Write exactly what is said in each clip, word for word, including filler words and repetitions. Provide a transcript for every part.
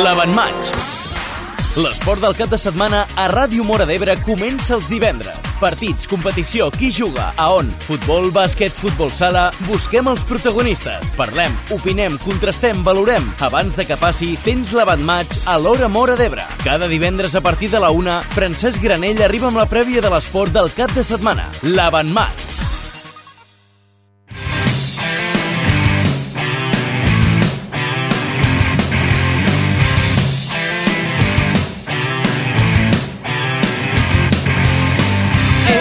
l'Avantmatx. L'esport del cap de setmana a Ràdio Móra d'Ebre comença els divendres. Partits, competició, qui juga, a on? Futbol, bàsquet, futbol sala... Busquem els protagonistes. Parlem, opinem, contrastem, valorem. Abans de que passi, tens l'Avantmatx a l'Hora Móra d'Ebre. Cada divendres a partir de la una, Francesc Granell arriba amb la prèvia de l'esport del cap de setmana. L'Avantmatx.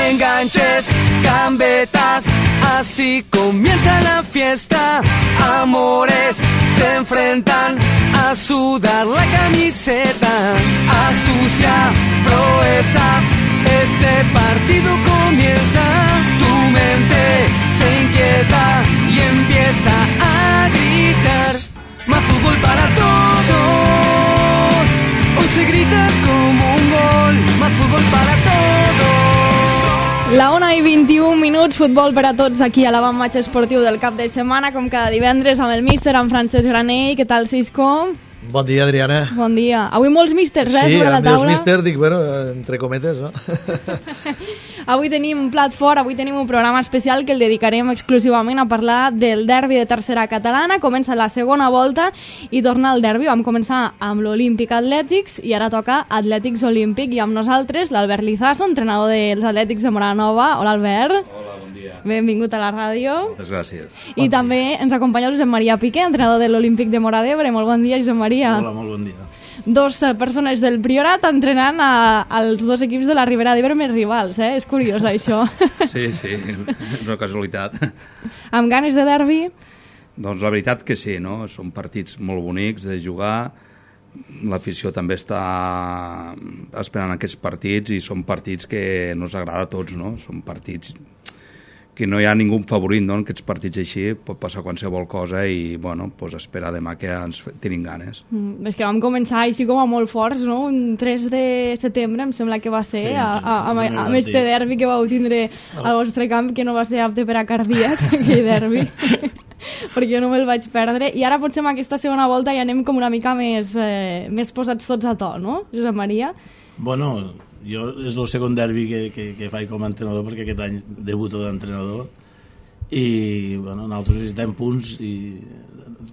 Enganches, gambetas, así comienza la fiesta. Amores se enfrentan a sudar la camiseta. Astucia, proezas, este partido comienza. Tu mente se inquieta y empieza a gritar. Más fútbol para todos. Hoy se grita como un gol. Más fútbol para todos. La una i vint-i-un minuts, futbol per a tots aquí a l'Avantmatx esportiu del cap de setmana, com cada divendres amb el míster, amb Francesc Granell. Què tal, Cisco? Bon dia, Adriana. Bon dia. Avui molts místers, eh, sí, sobre la taula. Sí, els místers, dic, bueno, entre cometes, no? Avui tenim un plat fort, avui tenim un programa especial que el dedicarem exclusivament a parlar del derbi de tercera catalana. Comença la segona volta i torna al derbi. Vam començar amb l'Olímpic Atlètics i ara toca Atlètics Olímpic, i amb nosaltres l'Albert Lizaso, entrenador dels Atlètics de Móra Nova. Hola, Albert. Hola, bon dia. Benvingut a la ràdio. Moltes gràcies. I bon també dia. Ens acompanya Josep Maria Piqué, entrenador de l'Olímpic de Móra d'Ebre. Molt bon dia, Josep Maria. Hola, molt bon dia. Dos persones del Priorat entrenant a, als dos equips de la Ribera d'Ebre més rivals, eh? És curiós, això. Sí, sí, és una casualitat. Amb ganes de derbi? Doncs la veritat que sí, no? Són partits molt bonics de jugar, l'afició també està esperant aquests partits i són partits que ens agrada a tots, no? Són partits que no hi ha ningú favorit, no? En aquests partits així pot passar qualsevol cosa i, bueno, pues esperar demà que ens tenim ganes. Mm, és que vam començar així com a molt forts, no? Un tres de setembre, em sembla que va ser, sí, a, a, a, a, amb este derbi que vau tindre al vostre camp, que no va ser apte per a cardíacs, aquell derbi, perquè jo no me'l vaig perdre. I ara potser amb aquesta segona volta ja anem com una mica més, eh, més posats tots a to, no, Josep Maria? Bueno, jo és el segon derbi que, que, que faig com a entrenador, perquè aquest any debuto d'entrenador i bueno, nosaltres necessitem punts i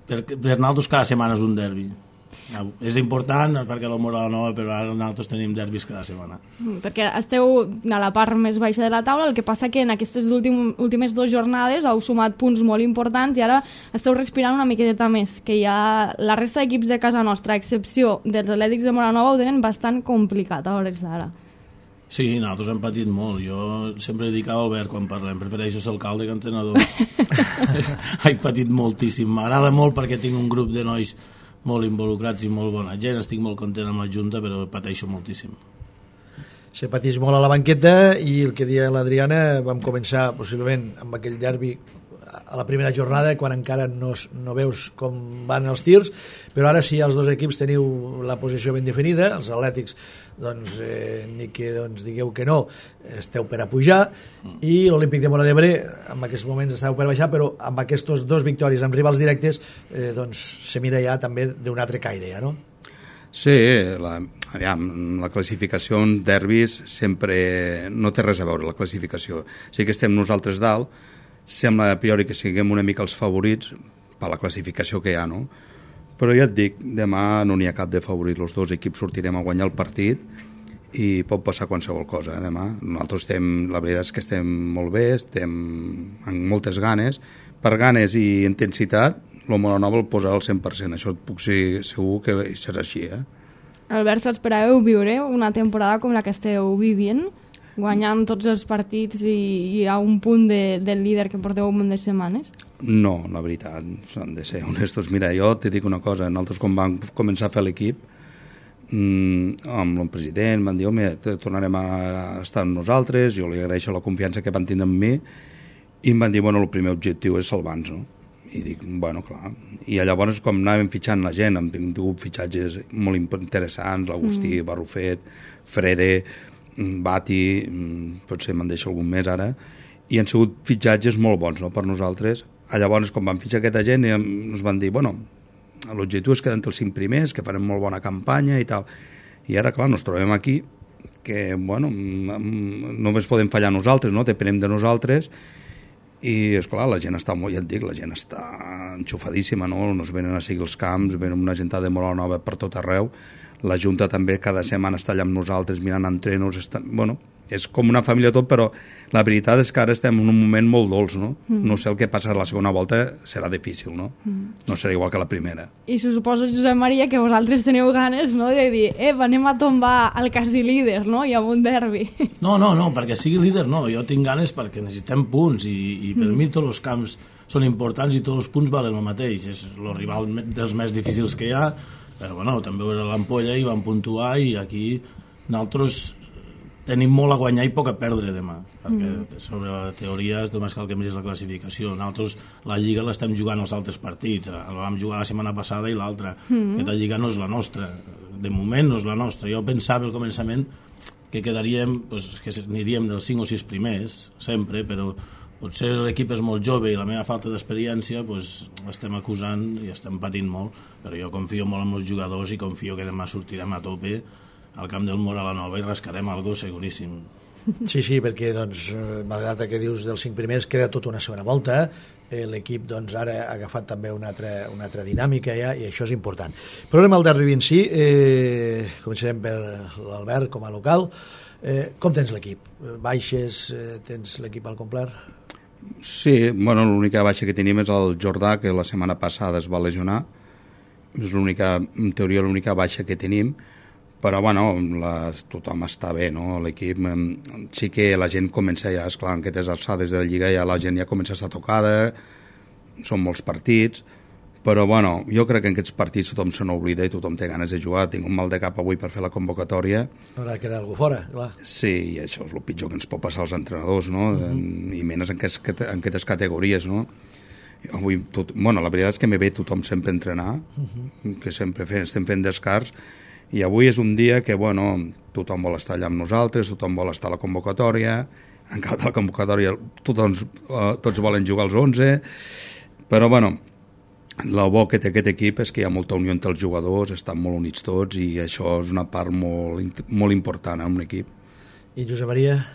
per, per nosaltres cada setmana és un derbi. És important perquè la Móra Nova, però ara nosaltres tenim derbis cada setmana. Perquè esteu a la part més baixa de la taula, el que passa que en aquestes últim, últimes dues jornades heu sumat punts molt importants i ara esteu respirant una miqueta més, que ja la resta d'equips de casa nostra, a excepció dels Atlètics de Móra Nova, ho tenen bastant complicat a hores d'ara. Sí, nosaltres hem patit molt. Jo sempre dic a Albert quan parlem, prefereixo ser alcalde que entrenador. He patit moltíssim. M'agrada molt perquè tinc un grup de nois molt involucrats i molt bona gent, estic molt content amb la Junta, però pateixo moltíssim. Se pateix molt a la banqueta i el que deia l'Adriana, vam començar possiblement amb aquell derbi a la primera jornada, quan encara no, no veus com van els tirs, però ara sí, els dos equips teniu la posició ben definida, els Atlètics doncs, eh, ni que doncs, digueu que no, esteu per a pujar, i l'Olímpic de Móra d'Ebre en aquests moments esteu per a baixar, però amb aquestes dos victòries amb rivals directes eh, doncs se mira ja també d'un altre caire, ja, no? Sí, la, aviam, la classificació en derbis sempre no té res a veure, la classificació. Sí que estem nosaltres dalt, sembla a priori que siguem una mica els favorits per la classificació que hi ha, no? Però ja et dic, demà no n'hi ha cap de favorit, els dos equips sortirem a guanyar el partit i pot passar qualsevol cosa, eh, demà. Nosaltres estem, la veritat és que estem molt bé, estem amb moltes ganes, per ganes i intensitat, el Móra Nova el posarà al cent per cent, això et puc ser segur que serà així, eh? Albert, s'esperàveu viure una temporada com la que esteu vivint, guanyant tots els partits i, i a un punt de, del líder que porteu un munt de setmanes? No, la veritat, s'han de ser honestos. Mira, jo te dic una cosa, nosaltres quan vam començar a fer l'equip, mmm, amb el president van dir, home, tornarem a estar amb nosaltres, jo li agraeixo la confiança que van tindre en mi, i em van dir, bueno, el primer objectiu és salvar-nos, no? I dic, bueno, clar. I llavors, com anàvem fitxant la gent, hem tingut fitxatges molt interessants, l'Agustí, mm. Barrufet, Frere, Bati, potser me'n deixo algun més ara, i han sigut fitxatges molt bons, no?, per nosaltres. Llavors, quan van fitxar aquesta gent, ens van dir, bueno, l'objectiu és quedar entre els cinc primers, que farem molt bona campanya i tal. I ara, clar, ens trobem aquí, que, bueno, només podem fallar nosaltres, no? Depenem de nosaltres, i, esclar, la gent està molt, ja et dic, la gent està enxufadíssima, no? Nos venen a seguir els camps, venen una gentada de molt nova per tot arreu, la Junta també cada setmana està allà amb nosaltres mirant entrenos, està... bueno, és com una família tot, però la veritat és que ara estem en un moment molt dolç, no? Mm. No sé el que passarà la segona volta, serà difícil, no? Mm. No serà igual que la primera. I suposo, Josep Maria, que vosaltres teniu ganes, no?, de dir, eh, anem a tombar el quasi líder, no?, i amb un derbi. No, no, no, perquè sigui líder no, jo tinc ganes perquè necessitem punts i, i per mm. mi tots els camps són importants i tots els punts valen el mateix, és el rival dels més difícils que hi ha, però bueno, també era l'Ampolla i van puntuar i aquí nosaltres tenim molt a guanyar i poc a perdre demà, perquè mm. sobre la teoria només cal que miris la classificació. Nosaltres la Lliga l'estem jugant als altres partits, la vam jugar la setmana passada i l'altra. Mm. Aquesta Lliga no és la nostra, de moment no és la nostra. Jo pensava al començament que quedaríem, pues, que aniríem dels cinc o sis primers, sempre, però potser l'equip és molt jove i la meva falta d'experiència pues, l'estem acusant i estem patint molt, però jo confio molt en els jugadors i confio que demà sortirem a tope al camp del Mora la Nova i rascarem algo seguríssim. Sí, sí, perquè doncs, malgrat que dius dels cinc primers queda tota una segona volta, eh, l'equip doncs, ara ha agafat també una altra, una altra dinàmica ja, i això és important. Però anem al derbi en si, eh, començarem per l'Albert com a local. Eh, com tens l'equip? Baixes, eh, tens l'equip al complet? Sí, bueno, l'única baixa que tenim és el Jordà, que la setmana passada es va lesionar, és l'única, en teoria l'única baixa que tenim, però bueno, la, tothom està bé, no? L'equip, sí que la gent comença ja, esclar, en aquestes alçades de la Lliga ja la gent ja comença a estar tocada, són molts partits, però bueno, jo crec que en aquests partits tothom se n'oblida i tothom té ganes de jugar. Tinc un mal de cap avui per fer la convocatòria. Haurà quedat algú fora, clar. Sí, i això és el pitjor que ens pot passar als entrenadors, no? Uh -huh. I menys en aquestes, en aquestes categories, no? Avui, tot, bueno, la veritat és que me ve tothom sempre a entrenar, uh -huh. que sempre fem, estem fent descars, i avui és un dia que, bueno, tothom vol estar allà amb nosaltres, tothom vol estar a la convocatòria, encara a la convocatòria tothom, uh, tots volen jugar als onze, però, bueno, el bo que té aquest equip és que hi ha molta unió entre els jugadors, estan molt units tots, i això és una part molt, molt important en un equip. I Josep Maria?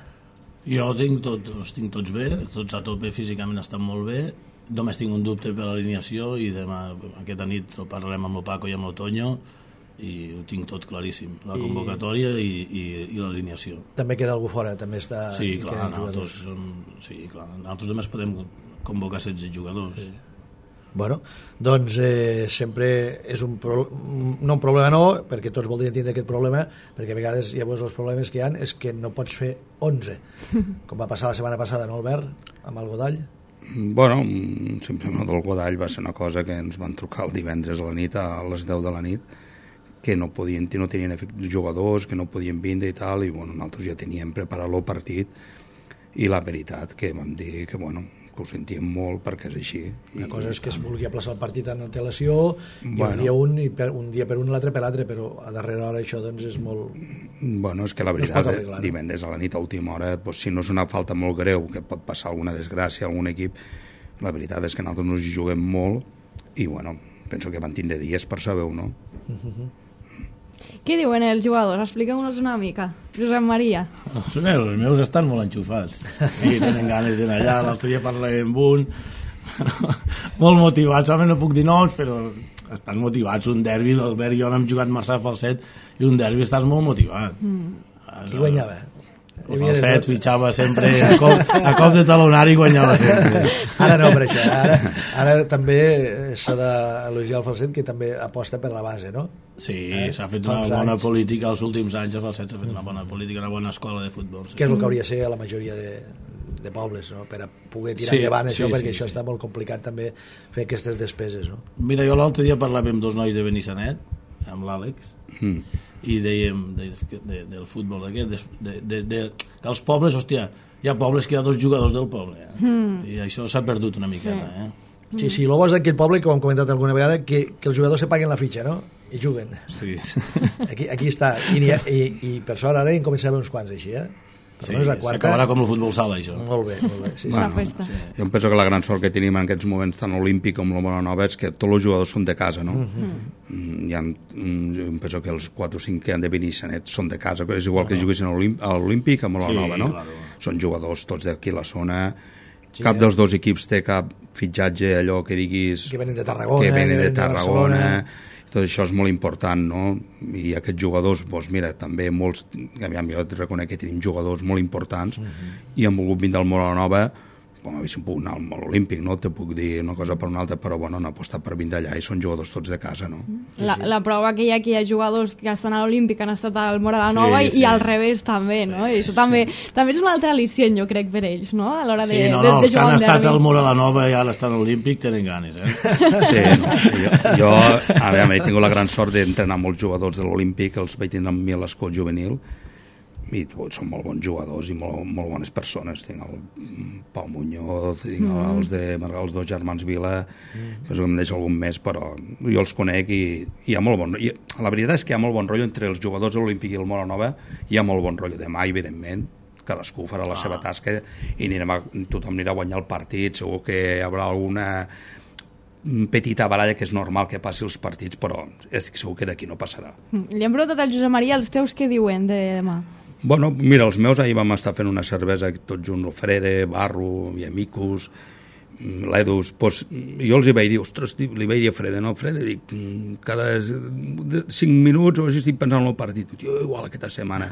Jo tinc tot, els tinc tots bé, tots a tope, físicament estan molt bé, només tinc un dubte per l'alineació i demà, aquesta nit, ho parlarem amb el Paco i amb l'Otoño, i ho tinc tot claríssim, la convocatòria i, i, i l'alineació. També queda algú fora, també està... Sí, clar, nosaltres, som, sí, clar, nosaltres només podem convocar setze jugadors. Sí. Bueno, doncs eh, sempre és un pro... no un problema no, perquè tots voldrien tindre aquest problema, perquè a vegades llavors els problemes que hi ha és que no pots fer onze, com va passar la setmana passada, no, Albert, amb el Godall? Bueno, simplement del Godall va ser una cosa que ens van trucar el divendres a la nit, a les deu de la nit, que no podien, no tenien jugadors, que no podien vindre i tal, i bueno, nosaltres ja teníem preparat el partit, i la veritat que vam dir que, bueno, que ho sentíem molt perquè és així. Una cosa és que es vulgui aplaçar el partit en antelació, bueno, i un dia un, i per, un dia per un, l'altre per l'altre, però a darrera hora això doncs és molt... Bueno, és que la veritat, no arreglar, divendres a la nit, a última hora, doncs, si no és una falta molt greu, que pot passar alguna desgràcia a algun equip, la veritat és que nosaltres nos hi juguem molt, i bueno, penso que van tindre dies per saber-ho, no? Uh-huh. Què diuen els jugadors? Expliqueu-nos una mica. Josep Maria. Els meus, els meus estan molt enxufats. Sí, tenen ganes d'anar allà. L'altre dia parlàvem amb un. Molt motivats. Home, no puc dir noms, però estan motivats. Un derbi, l'Albert i jo n'hem jugat Marçà Falset, i un derbi estàs molt motivat. Mm. Qui guanyava? El Falset fitxava sempre a cop, a cop de talonari, guanyava sempre. Ara no, per això. Ara, ara també s'ha d'elogiar el Falset, que també aposta per la base, no? Sí, eh? S'ha fet una bona anys. política els últims anys, el Falset s'ha fet una bona política, una bona escola de futbol. Sí. Que és el que hauria de ser a la majoria de, de pobles, no? Per a poder tirar sí, endavant això, sí, perquè sí, això sí. Està molt complicat també fer aquestes despeses, no? Mira, jo l'altre dia parlava amb dos nois de Benissanet, amb l'Àlex, mm. i dèiem de, de, del futbol aquest, de, de, de, que als pobles, hòstia, hi ha pobles que hi ha dos jugadors del poble, eh? mm. i això s'ha perdut una miqueta, sí. eh? Sí, sí, el bo és d'aquell poble, que ho hem comentat alguna vegada, que, que els jugadors se paguen la fitxa, no? I juguen. Sí. Aquí, aquí està. I, i, i per sort ara en començarem uns quants així, eh? Sí, s'acabarà com el futbol sala, això. Molt bé, molt bé. Sí, Una sí. festa. Sí. Jo em penso que la gran sort que tenim en aquests moments tant olímpic com la Moranova és que tots els jugadors són de casa, no? Mm-hmm. Hi ha, jo em penso que els quatre o cinc que han de venir senets són de casa, és igual que juguessin a l'olímpic a Moranova, Sí, no? claro. Són jugadors tots d'aquí a la zona. Sí, Cap eh? dels dos equips té cap fitxatge, allò que diguis... Que venen de Tarragona, que venen que de venen de Tarragona. Barcelona. Tot això és molt important, no? I aquests jugadors, doncs mira, també molts... Aviam, jo et reconec que tenim jugadors molt importants uh-huh. i han volgut vindre al Moranova, com haguéssim pogut anar al Olímpic, no? Te puc dir una cosa per una altra, però bueno, han apostat per vindre allà i són jugadors tots de casa, no? La, la prova que hi ha que hi ha jugadors que estan a l'Olímpic han estat al Moranova Sí, i, sí. i al revés també, no? I això també, també és un altre al·licient, jo crec, per ells, no? A l'hora de, Sí, no, de, no, de els que jugar han un estat derbi. al Mora la Nova i ara estan a l'Olímpic tenen ganes, eh? Sí, no? jo, jo a veure, he tingut la gran sort d'entrenar molts jugadors de l'Olímpic, els vaig tenir amb mi a l'escol juvenil, i són molt bons jugadors i molt, molt bones persones. Tinc el Pau Muñoz, tinc mm. els de els dos germans Vila, mm. penso que em deixo algun més, però jo els conec i, i hi ha molt bon rotllo. La veritat és que hi ha molt bon rotllo entre els jugadors de l'Olímpic i el Moranova, hi ha molt bon rotllo. Demà, evidentment, cadascú farà la ah. seva tasca i anirem a, tothom anirà a guanyar el partit, segur que hi haurà alguna petita baralla que és normal que passi els partits, però estic segur que d'aquí no passarà. Li hem preguntat al Josep Maria els teus què diuen de demà. Bueno, mira, els meus ahir vam estar fent una cervesa tots junts, el Frede, Barro, i Amicus, l'Edus, pues, jo els hi vaig dir, ostres, li vaig dir a Frede, no, Frede, dic, cada cinc minuts o així estic pensant en el partit, tio, igual aquesta setmana.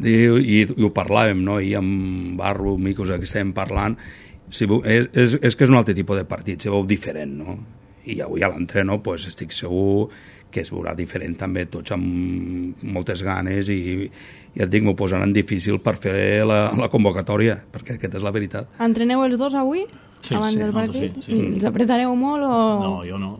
Diu, i, i ho parlàvem, no?, i amb Barro, Amicus, que estàvem parlant, si, és, és, és que és un altre tipus de partit, se veu diferent, no? I avui a l'entreno, pues, estic segur que es veurà diferent també, tots amb moltes ganes i, ja et dic, m'ho posaran difícil per fer la, la convocatòria, perquè aquesta és la veritat. Entreneu els dos avui? Sí, abans sí, del nosaltres partit? sí, sí. Els apretareu molt o...? No, jo no.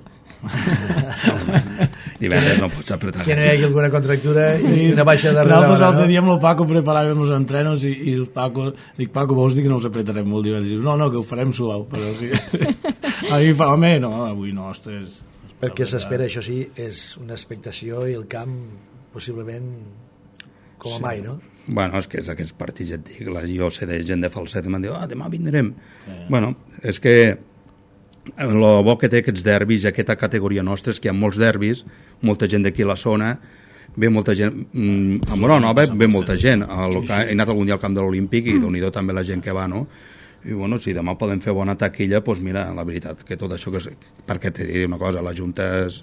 Divendres no pots apretar. Que no hi hagi alguna contractura i una baixa darrere. Nosaltres l'altre dia amb el Paco preparàvem els entrenos i, i el Paco, dic, Paco, vols dir que no us apretarem molt divendres? Diu, no, no, que ho farem suau, però sí. A mi fa, home, no, avui no, ostres. Perquè s'espera, això sí, és una expectació i el camp possiblement com a Sí. mai, no? Bueno, és que és aquests partits, ja et dic, la, jo sé de gent de Falset i m'han dit, ah, demà vindrem. Eh. Bueno, és que el bo que té aquests derbis i aquesta categoria nostra és que hi ha molts derbis, molta gent d'aquí a la zona, ve molta gent, mm, a Moranova ve molta gent, a lo, he anat algun dia al camp de l'Olímpic i déu-n'hi-do també la gent que va, no? I bueno, si demà podem fer bona taquilla, doncs mira, la veritat, que tot això que és... Perquè te diré una cosa, la Junta és...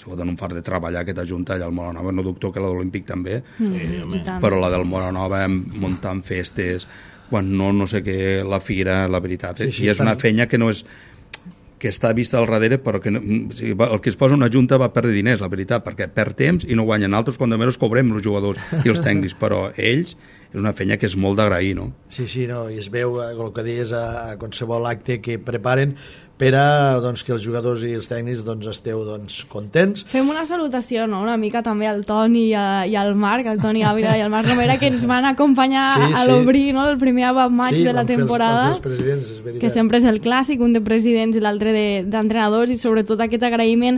Se poden un fart de treballar aquesta Junta allà al Moranova, no dubto que la de l'Olímpic també, Sí, i tant. però la del Moranova muntant festes, quan no, no sé què, la fira, la veritat, Sí, sí, sí, i és estan- una fenya que no és que està vista al darrere, però que no, o sigui, el que es posa una junta va perdre diners, la veritat, perquè perd temps i no guanyen. Altres, quan de menys cobrem els jugadors i els tècnics, però ells és una fenya que és molt d'agrair, no? Sí, sí, no, i es veu eh, el que deies a, a qualsevol acte que preparen per a doncs, que els jugadors i els tècnics doncs, esteu doncs, contents. Fem una salutació, no?, una mica també al Toni i, a, i al Marc, al Toni Ávila i al Marc Romera, que ens van acompanyar Sí, a sí. l'obrir, no?, el primer Abab Maig Sí, de la van fer els- temporada, van fer els presidents, és veritat. que sempre és el clàssic, un de presidents i l'altre de- d'entrenadors, i sobretot aquest agraïment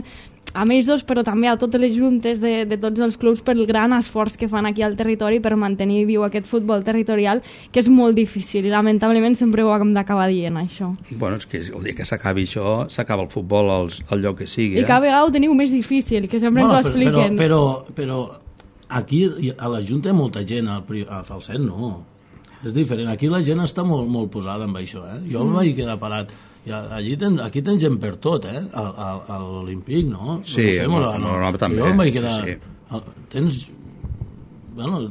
a ells dos, però també a totes les juntes de, de tots els clubs per el gran esforç que fan aquí al territori per mantenir viu aquest futbol territorial, que és molt difícil i lamentablement sempre ho hem d'acabar dient, això. Bueno, és que el dia que s'acabi això, s'acaba el futbol als, al lloc que sigui. I Eh? cada vegada ho teniu més difícil, que sempre ens ho però, expliquen. però, però aquí a la Junta hi ha molta gent, al, pri- al Falset no. És diferent. Aquí la gent està molt, molt posada amb això. Eh? Jo mm. em vaig quedar parat. Ja, allí ten, aquí tens gent per tot, eh? A, a, a l'Olímpic, no? Sí, no, no, no, no, també, Jo em vaig quedar... sí, sí. Tens... Bueno,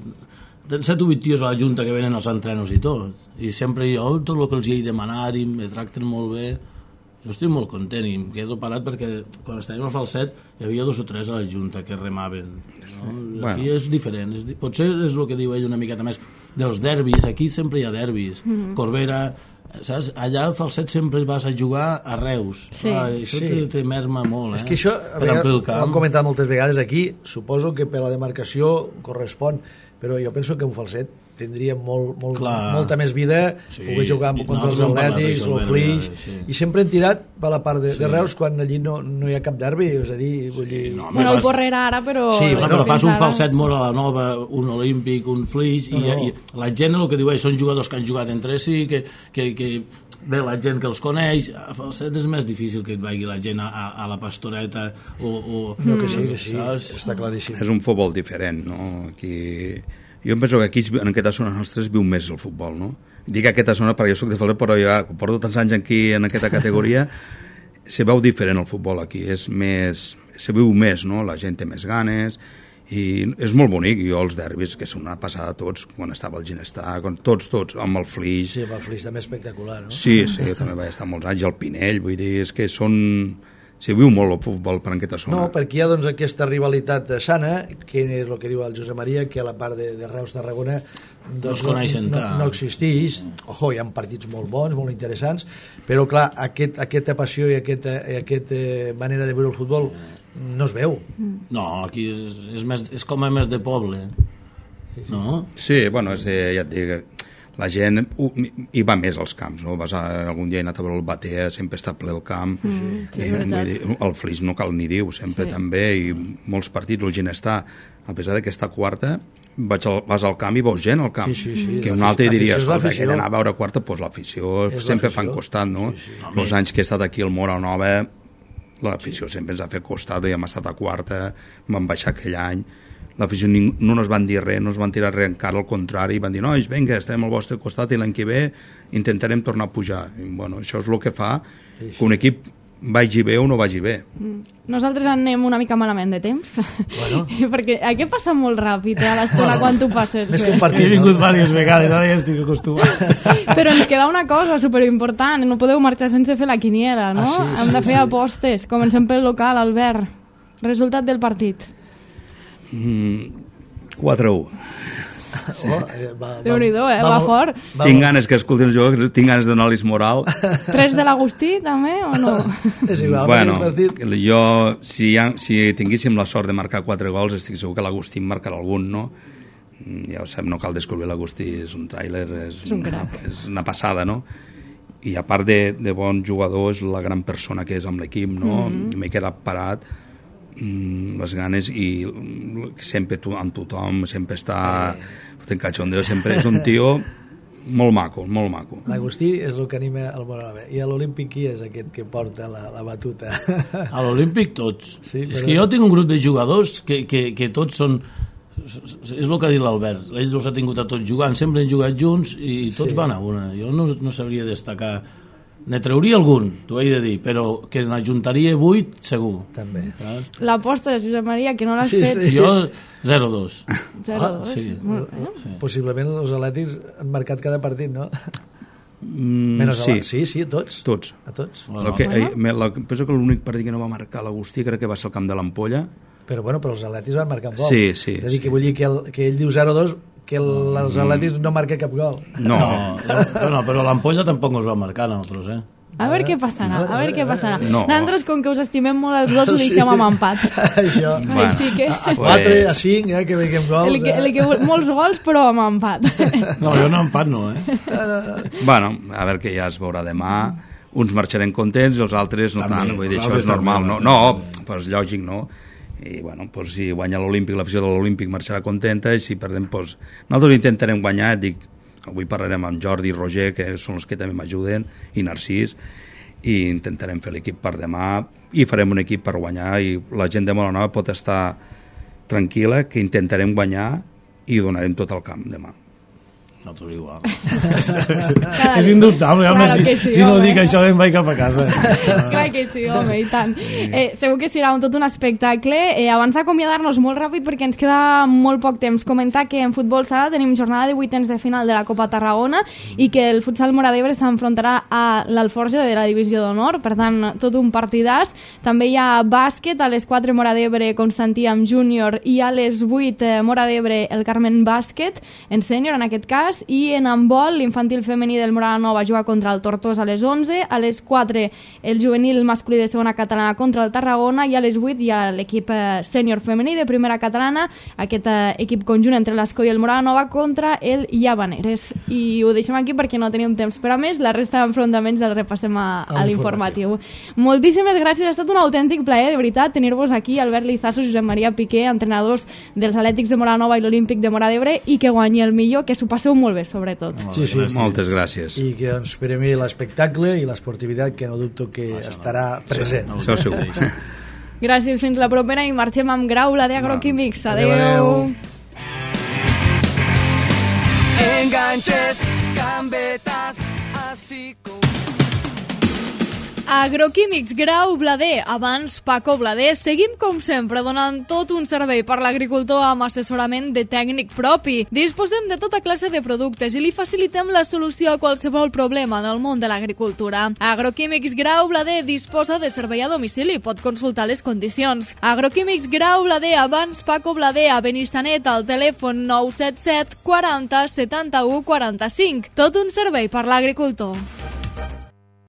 tens set o vuit tios a la Junta que venen als entrenos i tot. I sempre jo, tot el que els hi he demanat, i me tracten molt bé. Jo estic molt content i em quedo parat perquè quan estàvem a Falset hi havia dos o tres a la Junta que remaven. No? Bueno. Aquí és diferent. És, di- potser és el que diu ell una miqueta més dels derbis. Aquí sempre hi ha derbis. Mm -hmm. Corbera, saps? Allà a Falset sempre vas a jugar a Reus. Sí. Ah, això Sí. te, te merma molt. Eh? És que això, a Per vegades, amplir el ho hem camp. comentat moltes vegades aquí, suposo que per la demarcació correspon, però jo penso que un Falset tindria molt, molt, Clar. molta més vida, Sí, poder jugar i contra els nosaltres hem parlat Atlètics, d'això, el Flix, sí. i sempre hem tirat per la part de, Sí. de Reus quan allí no, no hi ha cap derbi, és a dir, vull dir... no, Bueno, el fas- Porrera ara, però... Sí, Bueno, bueno, però fas un fins ara- falset molt a la nova, un olímpic, un flix, No, i, no. i la gent el que diu és, són jugadors que han jugat entre si, que, que, que bé, la gent que els coneix, a falset és més difícil que et vagi la gent a, a, a la pastoreta o... o No, que sí, que sí, saps? està claríssim. És un futbol diferent, no? Aquí... Jo em penso que aquí, en aquesta zona nostra, es viu més el futbol, no? Dic aquesta zona perquè jo soc de Falset, però jo porto tants anys aquí en aquesta categoria, se veu diferent el futbol aquí, és més, se viu més, no? La gent té més ganes, i és molt bonic. Jo els derbis, que són una passada tots, quan estava el Ginestar, quan, tots, tots, amb el Flix. Sí, amb el Flix també espectacular, no? Sí, sí, jo també vaig estar molts anys, el Pinell, vull dir, és que són... Se viu molt el futbol per aquesta zona. No, perquè hi ha doncs, aquesta rivalitat sana, que és el que diu el Josep Maria, que a la part de, de Reus-Tarragona doncs, No es coneixen no, tant. no existeix. Ojo, hi ha partits molt bons, molt interessants, però clar, aquest, aquesta passió i aquesta, i aquesta manera de viure el futbol no es veu. No, aquí és, és, més, és com a més de poble, no? Sí, bueno, és, eh, ja et dic, la gent uh, hi va més als camps, no? Vas a, algun dia he anat a veure el Batea, sempre està ple el camp, Mm, sí, i, és veritat. vull dir, el Flix no cal ni dir, sempre Sí. també, i molts partits, el Ginestar, a pesar que està quarta, vaig al, vas al camp i veus gent al camp, Sí, sí, sí, que un l'afició- altre diria, l'afició és escolta, l'afició. que d'anar a veure quarta, doncs l'afició És sempre l'afició. fan costat, no? Sí, sí. Els anys que he estat aquí al Mora Nova, l'afició sempre ens ha fet costat, i hem estat a quarta, vam baixar aquell any, l'afició ning- no ens van dir res, no ens van tirar res encara, al contrari, van dir, nois, vinga, estem al vostre costat i l'any que ve intentarem tornar a pujar. I, bueno, això és el que fa que un equip vagi bé o no vagi bé. Nosaltres anem una mica malament de temps, Bueno. perquè aquí passa molt ràpid eh, a l'estona quan tu passes Més que bé. un partit, He vingut no? diverses vegades, ara ja estic acostumat. Però ens queda una cosa superimportant, no podeu marxar sense fer la quiniela, no? Ah, sí, Hem sí, de fer sí. apostes. Comencem pel local, Albert. Resultat del partit. Mm, quatre a u. Sí. Oh, eh, va, Déu-n'hi-do, eh? Va molt- fort. va Tinc molt- ganes que escoltin els jugadors, tinc ganes de donar-los moral. Tres de l'Agustí, també, o no? És igual, Bueno, bueno, partit... jo, si, ha, si tinguéssim la sort de marcar quatre gols, estic segur que l'Agustí en marcarà algun, no? Mm, Ja ho sap, no cal descobrir l'Agustí, és un tràiler, és, És un una, crac. és una passada, no? I a part de, de bon jugador, és la gran persona que és amb l'equip, no? Mm-hmm. M'he quedat parat, mm, les ganes, i mm, sempre tu, amb tothom, sempre està fotent cachondeo, sempre és un tio molt maco, molt maco. L'Agustí és el que anima el Moranova. I a l'Olímpic qui és aquest que porta la, la batuta? A l'Olímpic tots. Sí, és però- que jo tinc un grup de jugadors que, que, que tots són... És el que ha dit l'Albert. Ells els ha tingut a tots jugant, sempre han jugat junts i tots Sí. van a una. Jo no, no sabria destacar... Ne trauria algun, t'ho he de dir, però que n'ajuntaria vuit, segur. També. Saps? L'aposta de Josep Maria, que no l'has Sí, fet. sí. Jo, zero dos. zero Ah, dos. sí. Molt bé. Sí. Possiblement els atlètics han marcat cada partit, no? Mm, Menys sí, sí. sí, sí, a tots. tots. A tots. Bueno, Lo que, Bueno. eh, me- la, penso que l'únic partit que no va marcar l'Agustí crec que va ser el camp de l'Ampolla. Però bueno, però els atlètics van marcar un gol. Sí, sí, És a dir, sí. que vull dir que, el, que ell diu zero dos, que el, els atlètics no marca cap gol. No, No, no, no, però l'Ampolla tampoc ens va marcar a nosaltres, eh? A veure què passarà, a veure què passarà. No. Nosaltres, com que us estimem molt els gols, li deixem amb empat. Això. Bueno. Així que... A quatre, a cinc, eh, que veiem gols. El que, el eh? que, molts gols, però amb empat. No, jo no empat no, eh? bueno, a veure que ja es veurà demà. Uns marxarem contents i els altres no També, tant. Vull dir, els això és altres normal. també, No, els no altres pues, lògic, no. I, bueno, pues, si guanya l'Olímpic, l'afició de l'Olímpic marxarà contenta, i si perdem, pues, nosaltres intentarem guanyar. Dic, avui parlarem amb Jordi i Roger, que són els que també m'ajuden, i Narcís, i intentarem fer l'equip per demà, i farem un equip per guanyar, i la gent de Molanova pot estar tranquil·la, que intentarem guanyar i donarem tot el camp demà. Nosaltres igual. Clar, És indubtable, home, claro si, que sí, si no home. dic això em vaig cap a casa. Clar que sí, home, i tant. Eh, segur que serà un, tot un espectacle. Eh, abans d'acomiadar-nos molt ràpid, perquè ens queda molt poc temps, comentar que en futbol sala tenim jornada de vuitens de final de la Copa Tarragona i que el futsal Móra d'Ebre s'enfrontarà a l'Alforja de la Divisió d'Honor, per tant, tot un partidàs. També hi ha bàsquet, a les quatre Móra d'Ebre Constantí amb júnior i a les vuit eh, Móra d'Ebre el Carmen Bàsquet, en sènior en aquest cas. hores, i en handbol l'infantil femení del Morada Nova juga contra el Tortosa a les onze, a les quatre el juvenil masculí de segona catalana contra el Tarragona, i a les vuit hi ha l'equip sènior femení de primera catalana, aquest equip conjunt entre l'Escó i el Morada Nova contra el Llavaneres. I ho deixem aquí perquè no tenim temps per a més, la resta d'enfrontaments el repassem a, a l'informatiu. Moltíssimes gràcies, ha estat un autèntic plaer, de veritat, tenir-vos aquí, Albert Lizaso, Josep Maria Piqué, entrenadors dels Atlètics de Morada Nova i l'Olímpic de Móra d'Ebre, i que guanyi el millor, que s'ho passeu molt bé, sobretot. Sí, sí, moltes gràcies. I que ens premi l'espectacle i l'esportivitat, que no dubto que no, estarà no. present. No, això segur. Gràcies, fins la propera, i marxem amb Grau, la d'Agroquímics. Adéu. Adéu, adéu. Enganches, gambetes, así com... Agroquímics Grau Blader, abans Paco Blader. Seguim, com sempre, donant tot un servei per l'agricultor amb assessorament de tècnic propi. Disposem de tota classe de productes i li facilitem la solució a qualsevol problema en el món de l'agricultura. Agroquímics Grau Blader disposa de servei a domicili, pot consultar les condicions. Agroquímics Grau Blader, abans Paco Blader, a Benissanet, al telèfon nou set set quaranta setanta-u quaranta-cinc. Tot un servei per l'agricultor.